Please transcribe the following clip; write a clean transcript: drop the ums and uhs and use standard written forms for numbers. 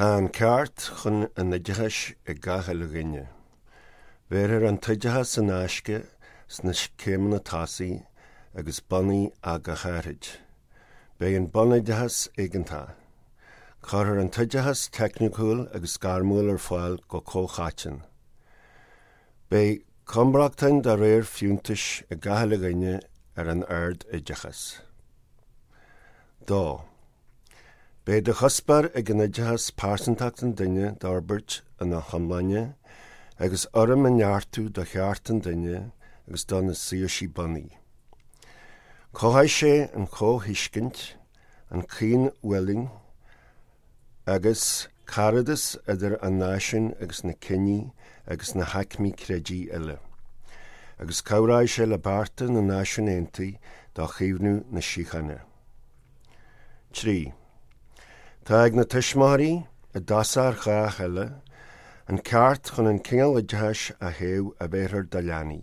Tá an ceart chun an oideachais ag gach uile dhuine. Bhéarfar an t-oideachas in aisce sna céimeanna tosaigh agus bunaidh ach go háithrid. Beidh an bunoideachas éigeantach. Cuirfear an t-oideachas teicniúil agus gairmiúil ar fáil go comhchoiteann. Beidh cumrochtain de réir fiúntais ag gach uile dhuine ar an ard-oideachas. 2. Beidh de chuspóir ag an oideachas pearsantacht an duine d'fhorbairt ina hiomláine agus urraim a neartú do chearta an duine agus do na saoirsí bunaidh. Cothóidh sé an chomhthuiscint, an chaoinfhulaingt agus caradas idir an náisiún agus na ciní agus na haicmí creidimh uile, agus cabhróidh sé le bearta na Náisiún Aontaithe do chaomhnú na síochána. 3. Tá ag na tuismitheoirí, i dtosach ar chách eile, an ceart chun an cineál oideachais a thoghadh a bhéarfar dá leanaí.